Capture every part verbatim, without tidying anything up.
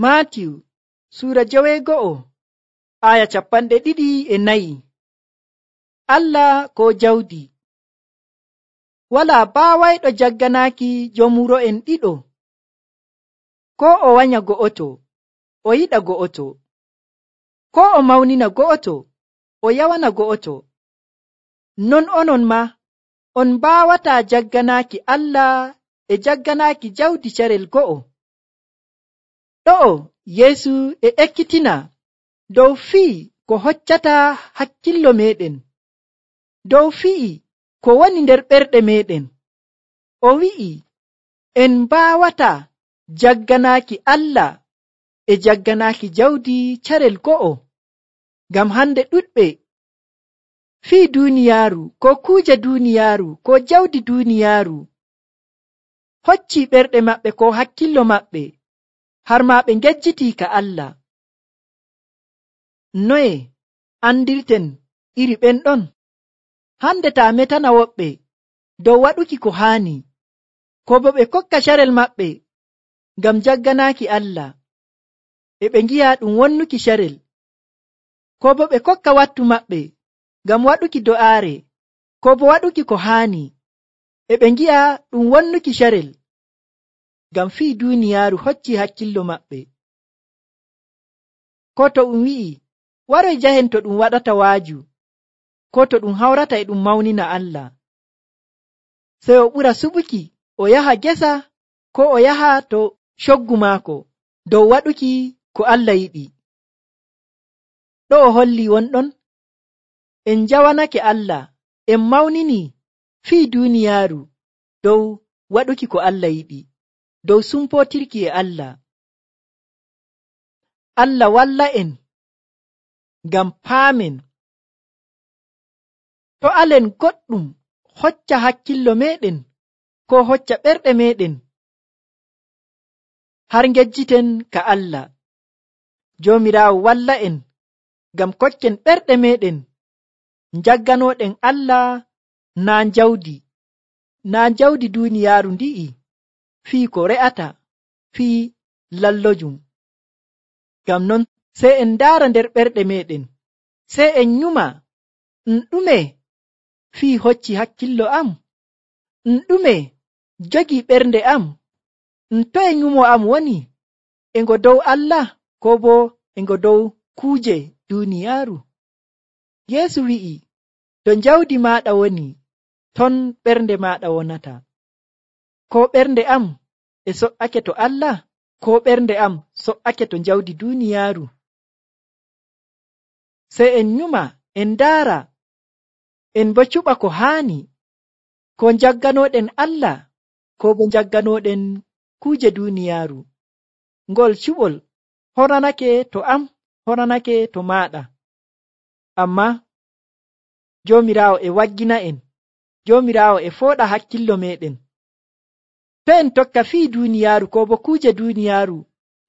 Maatiyu suura joweego'o aya capanɗe ɗiɗi e nayi. Allah ko jawdi. Walaa baawayɗo jagganaaki joomuro'en ɗiɗo. Ko o wanya go'oto, o yiɗa go'oto. Ko o mawnina go'oto, o yawana go'oto. Non onon ma, on mbaawataa jagganaaki Allah e jagganaaki jawdi carel go'o. Ɗo'o Yeesu e ekkitina dow fii ko hoccata hakkillo meɗen, dow fii ko woni nder ɓerɗe meɗen. O wi'i en mbaawata jagganaaki Allah e jagganaaki jawdi carel go'o, ngam hande ɗuɗɓe fii duuniyaaru ko kuuje duuniyaaru ko jawdi duuniyaaru hocci ɓerɗe maɓɓe ko hakkillo maɓɓe har ma ɓe ngejjitii ka Allah. Noye andirten iri ɓen ɗon? Hande taa metana woɓɓe dow waɗuki ko haani, ko bo ɓe kokka carel maɓɓe ngam jagganaaki Allah, e ɓe ngi'a ɗum wonnuki carel, ko bo ɓe kokka wattu maɓɓe ngam waɗuki do'aare, ko bo waɗuki ko haani, e ɓe ngi'a ɗum wonnuki carel, ngam fii duuniyaaru hocci hakkillo maɓɓe. Ko to ɗum wi'i waroy jahen to ɗum waɗata waaju, ko to ɗum hawrata e ɗum mawnina Allah, sey o ɓura suɓuki o yaha gesa ko o yaha to coggu maako dow waɗuki ko Allah yiɗi. Ɗo o holli wonɗon en jawanake Allah, en mawnini fii duuniyaaru dow waɗuki ko Allah yiɗi, dow sumpootirki e Allah. Allah walla en ngam paamen. To alen goɗɗum hocca hakkillo meɗen ko hocca ɓerɗe meɗen har ngejjiten ka Allah. Joomiraawo walla en ngam kokken ɓerɗe meɗen jagganoɗen Allah, naa jawdi, naa jawdi duuniyaaru ndi'i fii ko re'ata, fii lallojum. Ngam non sey en ndaara nder ɓerɗe meɗen, sey en nyuma ɗum ɗume fii hocci hakkillo am, ɗum ɗume jogi ɓernde am, ɗum toye nyumo am woni, e ngo dow Allah ko bo e ngo dow kuuje duuniyaaru. Yeesu wi'i, to jawdi maaɗa woni, ton ɓernde maaɗa wonata. Ko ɓernde am e so'ake to Allah, ko ɓernde am so'ake to jawdi duuniyaaru. Sey en nyuma en ndaara, en bo cuɓa ko haani, ko jagganoɗen Allah ko bo jagganoɗen kuuje duuniyaaru. Ngol cuɓol horanake to am, horanake to maaɗa. Amma Joomiraawo e waggina en, Joomiraawo e fooɗa hakkillo meɗen. To en tokka fii duuniyaaru ko bo kuuje duuniyaaru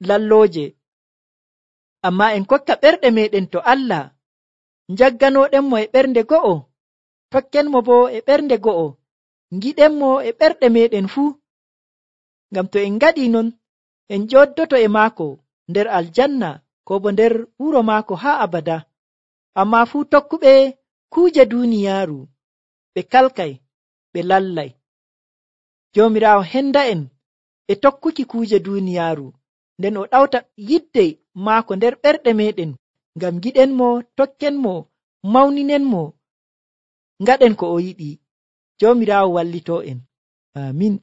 lallooje, amma en kokka ɓerɗe meɗen to Allah, jagganoɗenmo e ɓernde go'o, tokkenmo bo e ɓernde go'o, ngiɗenmo e ɓerɗe meɗen fuu. Ngam to en ngaɗi non, en joddoto e maako nder aljanna ko bo nder wuro maako haa abada. Amma fuu tokkuɓe kuuje duuniyaaru ɓe kalkay, ɓe lallay. Joomiraawo henda en e tokkuki kuuje duuniyaaru, nden o ɗawta yidde maako nder ɓerɗe meɗen ngam giɗenmo, tokkenmo, mawninenmo, ngaɗen ko o yiɗi. Joomiraawo wallito en. Amin.